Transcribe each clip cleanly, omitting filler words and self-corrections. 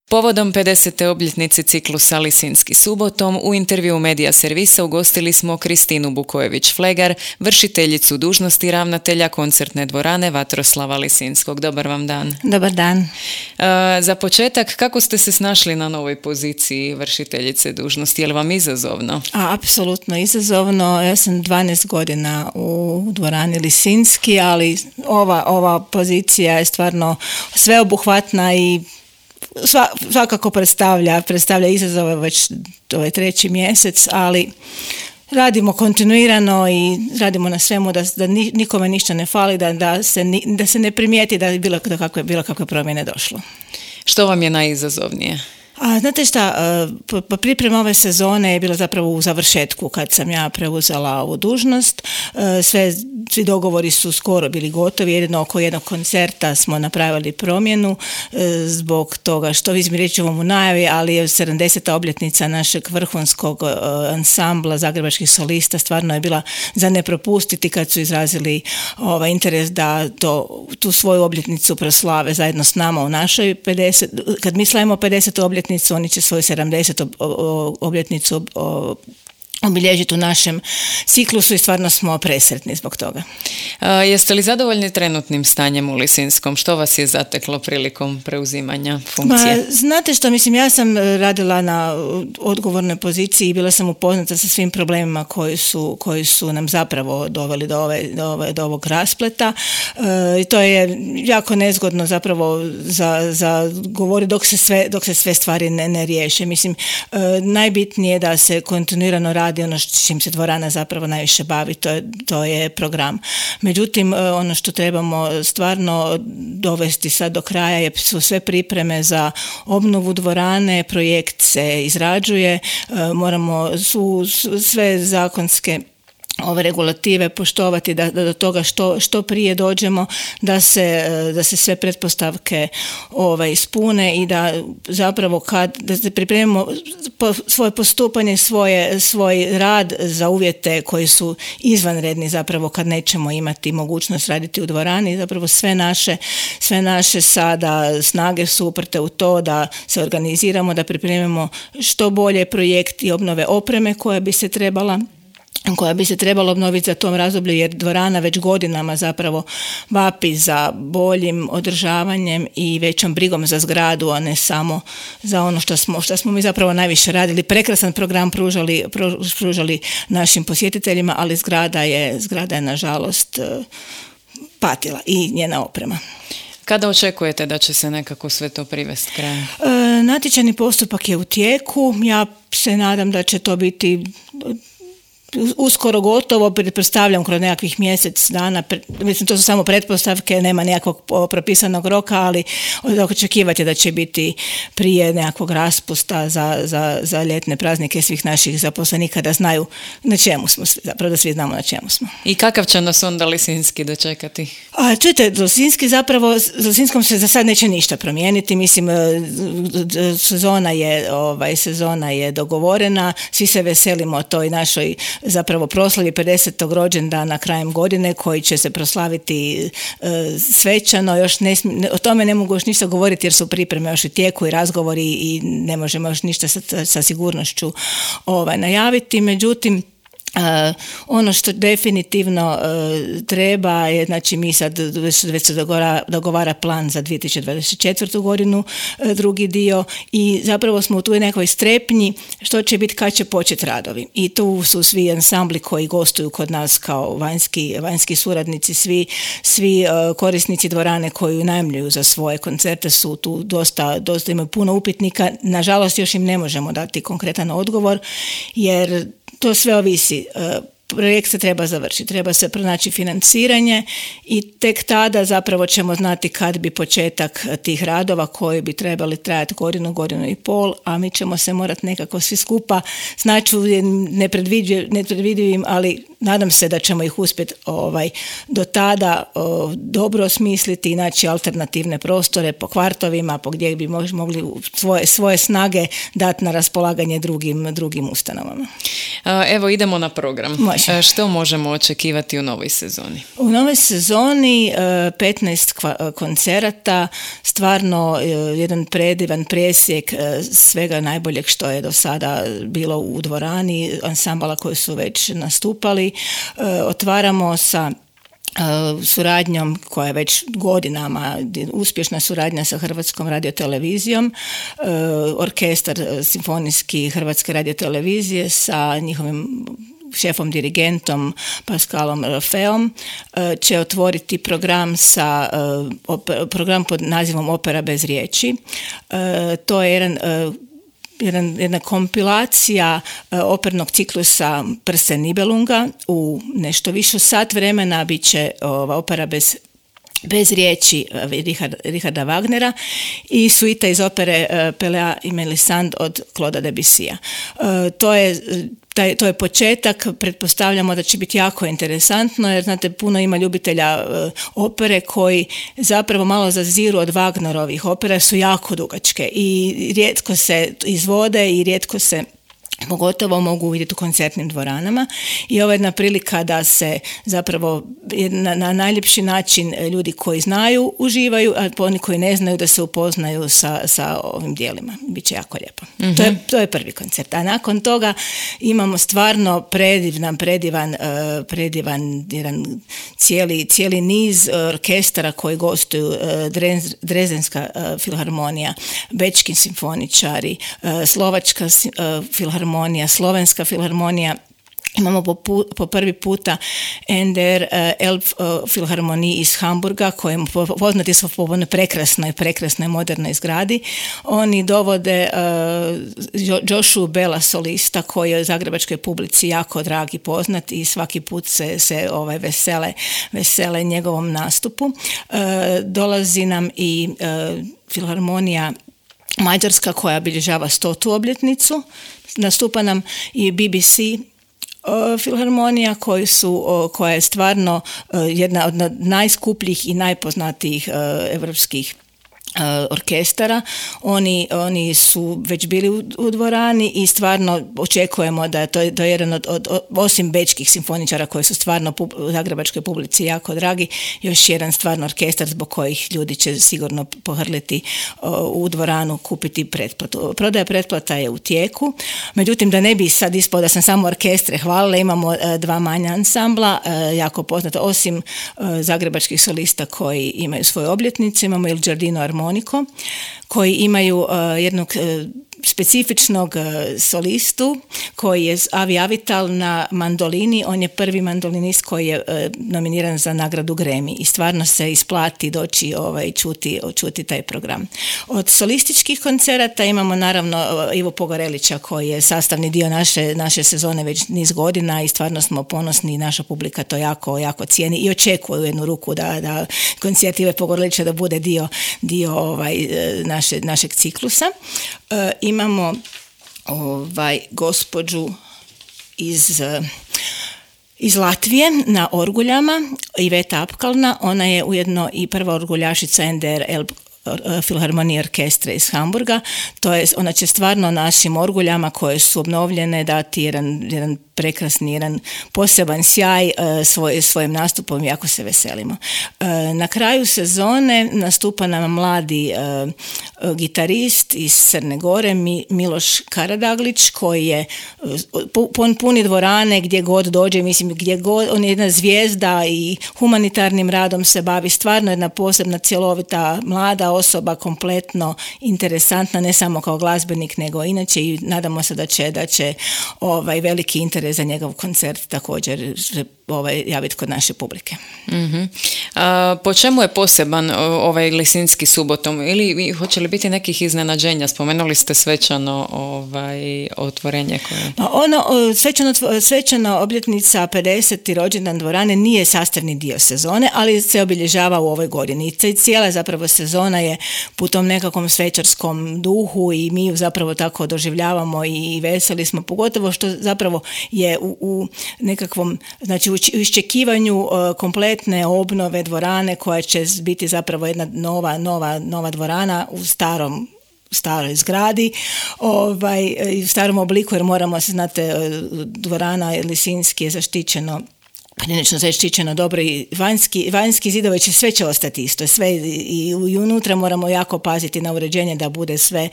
Povodom 50. obljetnice ciklusa Lisinski subotom u intervju Medija servisa ugostili smo Kristinu Bukojević-Flegar, vršiteljicu dužnosti ravnatelja koncertne dvorane Vatroslava Lisinskog. Dobar vam dan. Dobar dan. Za početak, kako ste se snašli na novoj poziciji vršiteljice dužnosti? Je li vam izazovno? Apsolutno izazovno. Ja sam 12 godina u dvorani Lisinski, ali ova pozicija je stvarno sveobuhvatna i svakako predstavlja izazove već ovaj 3. mjesec, ali radimo kontinuirano i radimo na svemu da nikome ništa ne fali, da se ne primijeti da je bilo kakve promjene došlo. Što vam je najizazovnije? A znate šta, priprema ove sezone je bila zapravo u završetku kad sam ja preuzela ovu dužnost. Svi dogovori su skoro bili gotovi, jedino oko jednog koncerta smo napravili promjenu zbog toga što vi mi reći u najavi, ali je 70. obljetnica našeg vrhunskog ansambla zagrebačkih solista stvarno je bila za ne propustiti kad su izrazili interes da tu svoju obljetnicu proslave zajedno s nama u našoj 50. Kad mi slavimo 50. obljetnicu, oni će svoju 70. obljetnicu obilježiti u našem ciklusu i stvarno smo presretni zbog toga. Jeste li zadovoljni trenutnim stanjem u Lisinskom? Što vas je zateklo prilikom preuzimanja funkcije? Znate što, ja sam radila na odgovornoj poziciji i bila sam upoznata sa svim problemima koji su nam zapravo doveli do ovog raspleta. I to je jako nezgodno zapravo za govori dok se sve stvari ne riješe. Najbitnije je da se kontinuirano radi ono čim se dvorana zapravo najviše bavi, to je program. Međutim, ono što trebamo stvarno dovesti sad do kraja su sve pripreme za obnovu dvorane, projekt se izrađuje, moramo sve zakonske ove regulative poštovati da do toga što prije dođemo, da se sve pretpostavke ispune i da zapravo da se pripremimo svoje postupanje, svoj rad za uvjete koji su izvanredni zapravo kad nećemo imati mogućnost raditi u dvorani. Zapravo sve naše sada snage su uprte u to da se organiziramo, da pripremimo što bolje projekti obnove opreme koja bi se trebala obnoviti za tom razdoblju, jer dvorana već godinama zapravo vapi za boljim održavanjem i većom brigom za zgradu, a ne samo za ono što smo mi zapravo najviše radili. Prekrasan program pružali našim posjetiteljima, ali zgrada je nažalost patila i njena oprema. Kada očekujete da će se nekako sve to privesti kraju? Natječajni postupak je u tijeku. Ja se nadam da će to biti uskoro gotovo, pretpostavljam kroz nekakvih mjesec dana, to su samo pretpostavke, nema nekakvog propisanog roka, ali očekivati da će biti prije nekakvog raspusta za ljetne praznike svih naših zaposlenika da znaju na čemu smo, zapravo da svi znamo na čemu smo. I kakav će nas onda Lisinski dočekati? Čujte, Lisinskom se za sad neće ništa promijeniti, sezona je dogovorena, svi se veselimo toj našoj zapravo proslavi 50. rođendana krajem godine koji će se proslaviti svečano. O tome ne mogu još ništa govoriti jer su pripreme još u tijeku i razgovori i ne možemo još ništa sa sigurnošću najaviti. Međutim, ono što definitivno treba je, mi sad već se dogovara plan za 2024. godinu, drugi dio, i zapravo smo u tu nekoj strepnji što će biti kad će početi radovi. I tu su svi ansambli koji gostuju kod nas kao vanjski suradnici, svi korisnici dvorane koji unajmljuju za svoje koncerte su tu dosta imaju puno upitnika. Nažalost, još im ne možemo dati konkretan odgovor jer to sve ovisi. Projekt se treba završiti, treba se pronaći financiranje i tek tada zapravo ćemo znati kad bi početak tih radova koji bi trebali trajati godinu i pol, a mi ćemo se morati nekako svi skupa snaći u nepredvidivim, ali nadam se da ćemo ih uspjeti do tada dobro osmisliti i naći alternativne prostore po kvartovima, po gdje bi mogli svoje snage dati na raspolaganje drugim ustanovama. Evo idemo na program. Može. slažem. Što možemo očekivati u novoj sezoni? U novoj sezoni 15 koncerata, stvarno jedan predivan presjek svega najboljeg što je do sada bilo u dvorani, ansambala koji su već nastupali. Otvaramo sa suradnjom koja je već godinama uspješna suradnja sa Hrvatskom radiotelevizijom, orkestar simfonijski Hrvatske radiotelevizije sa njihovim šefom dirigentom Pascalom Rafaelom će otvoriti program program pod nazivom Opera bez riječi. To je jedna kompilacija opernog ciklusa Prse Nibelunga. U nešto više od sat vremena bit će opera bez riječi Richarda Wagnera i suita iz opere Pelea i Melisande od Claude'a Debussya. To je početak, pretpostavljamo da će biti jako interesantno, jer znate, puno ima ljubitelja opere koji zapravo malo zaziru od Wagnerovih opera, su jako dugačke i rijetko se izvode i rijetko se pogotovo mogu vidjeti u koncertnim dvoranama i ovo je jedna prilika da se zapravo na najljepši način ljudi koji znaju uživaju, a oni koji ne znaju da se upoznaju sa ovim dijelima. Biće jako lijepo. Mm-hmm. To je prvi koncert. A nakon toga imamo stvarno predivan jedan cijeli niz orkestara koji gostuju, Dresdenska filharmonija, Bečki simfoničari, Slovačka filharmonija, Slovenska filharmonija. Imamo po prvi puta NDR Elf filharmoniji iz Hamburga, kojim poznati su po prekrasnoj modernoj zgradi. Oni dovode Joshua Bella, solista, koji je zagrebačkoj publici jako drag i poznat i svaki put se vesele njegovom nastupu. Dolazi nam i filharmonija Mađarska koja obilježava 100. obljetnicu. Nastupa nam i BBC filharmonija koja je stvarno jedna od najskupljih i najpoznatijih evropskih orkestara. Oni su već bili u dvorani i stvarno očekujemo da je to jedan od osim bečkih simfoničara koji su stvarno u zagrebačkoj publici jako dragi, još jedan stvarno orkestar zbog kojih ljudi će sigurno pohrliti u dvoranu kupiti pretplatu. Prodaja pretplata je u tijeku, međutim da ne bi sad ispao da sam samo orkestre hvalila, imamo dva manja ansambla, jako poznata, osim zagrebačkih solista koji imaju svoje obljetnice, imamo Il Giardino Armonico, koji imaju jednog specifičnog solistu koji je Avi Avital na mandolini. On je prvi mandolinist koji je nominiran za nagradu Grammy i stvarno se isplati doći čuti taj program. Od solističkih koncerata imamo naravno Ivo Pogorelića koji je sastavni dio naše sezone već niz godina i stvarno smo ponosni i naša publika to jako cijeni i očekuje u jednu ruku da koncert Ive Pogorelića da bude dio našeg ciklusa. Imamo gospođu iz Latvije na orguljama, Iveta Apkalna. Ona je ujedno i prva orguljašica NDR filharmonije orkestra iz Hamburga. Ona će stvarno našim orguljama koje su obnovljene dati jedan prekrasni, jedan poseban sjaj svojim nastupom, jako se veselimo. Na kraju sezone nastupa nam mladi gitarist iz Crne Gore, Miloš Karadaglić, koji je puni dvorane gdje god dođe, mislim gdje god, on je jedna zvijezda i humanitarnim radom se bavi, stvarno jedna posebna cjelovita mlada osoba, kompletno interesantna, ne samo kao glazbenik, nego inače i nadamo se da će veliki interes za njegov koncert također javiti kod naše publike. Mm-hmm. Po čemu je poseban ovaj Lisinski subotom? Ili hoće li biti nekih iznenađenja? Spomenuli ste svečano otvorenje koje... Svečana obljetnica 50. rođendan dvorane nije sastavni dio sezone, ali se obilježava u ovoj godini. I cijela zapravo sezona je u tom nekakvom svečarskom duhu i mi zapravo tako doživljavamo i veseli smo, pogotovo što zapravo je u nekakvom, znači u iščekivanju kompletne obnove dvorane koja će biti zapravo jedna nova dvorana u starom staroj zgradi, u starom obliku, jer moramo se, znate, dvorana Lisinski je zaštićeno, prilično zaštićeno dobro i vanjski zidovi sve će ostati isto, sve i unutra moramo jako paziti na uređenje da bude sve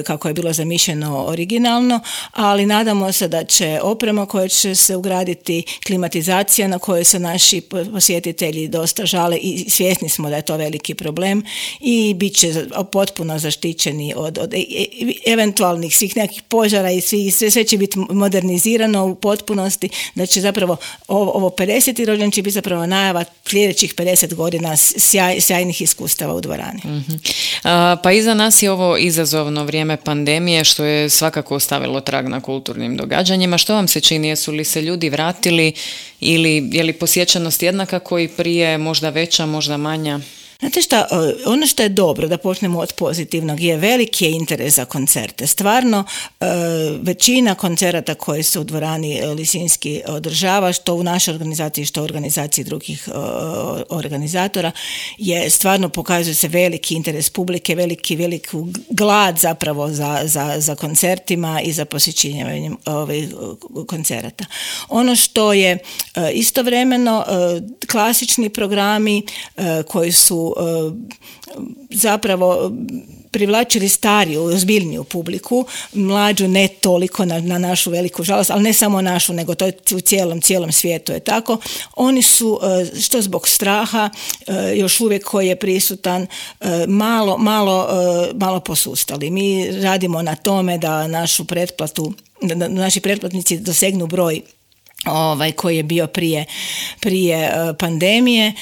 kako je bilo zamišljeno originalno, ali nadamo se da će oprema koja će se ugraditi, klimatizacija na kojoj se naši posjetitelji dosta žale i svjesni smo da je to veliki problem i bit će potpuno zaštićeni od eventualnih svih nekih požara i sve će biti modernizirano u potpunosti, da će zapravo ovo 50. rođendan će biti zapravo najava sljedećih 50 godina sjajnih iskustava u dvorani. Mm-hmm. Pa iza nas je ovo izazovno vrijeme pandemije što je svakako ostavilo trag na kulturnim događanjima. Što vam se čini? Jesu li se ljudi vratili ili je li posjećenost jednaka koji prije, možda veća, možda manja? Znate šta, ono što je dobro, da počnemo od pozitivnog, je veliki interes za koncerte. Stvarno, većina koncerata koje se u dvorani Lisinski održava, što u našoj organizaciji, što u organizaciji drugih organizatora, je stvarno pokazuje se veliki interes publike, veliki glad zapravo za koncertima i za posjećivanjem ovih koncerata. Ono što je istovremeno klasični programi koji su zapravo privlačili stariju, ozbiljniju publiku, mlađu ne toliko na našu veliku žalost, ali ne samo našu, nego to je u cijelom svijetu je tako. Oni su, što zbog straha, još uvijek koji je prisutan, malo posustali. Mi radimo na tome da našu pretplatu, da naši pretplatnici dosegnu broj koji je bio prije pandemije.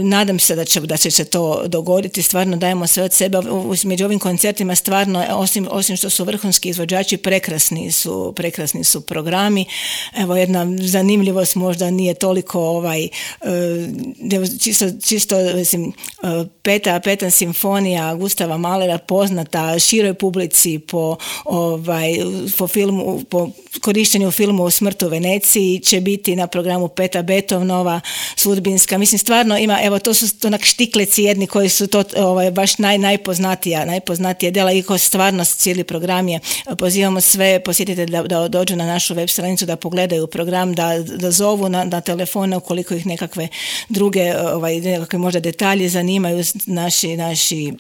Nadam se da će se to dogoditi. Stvarno dajemo sve od sebe. Među ovim koncertima stvarno, osim što su vrhunski izvođači, prekrasni su programi. Evo jedna zanimljivost, možda nije toliko čisto mislim, Peta simfonija Gustava Mahlera, poznata široj publici po filmu, po korištenju u filmu Smrt u Veneciji, će biti na programu Peta Beethovenova Sudbinska. Mislim, stvarno ima, evo, to su onak štikleci jedni koji su to baš najpoznatija djela i ko stvarno cijeli program je. Pozivamo sve posjetitelje da dođu na našu web stranicu, da pogledaju program, da zovu na telefone ukoliko ih nekakve druge, nekakve možda detalje zanimaju. Naši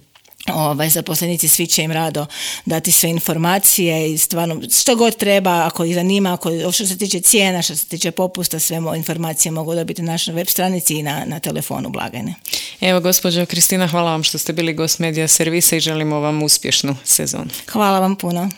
zaposlenici, svi će im rado dati sve informacije i stvarno što god treba, ako ih zanima, što se tiče cijena, što se tiče popusta, sve informacije mogu dobiti na našoj web stranici i na telefonu blagajne. Evo, gospođo Kristina, hvala vam što ste bili gost Medija servisa i želimo vam uspješnu sezonu. Hvala vam puno.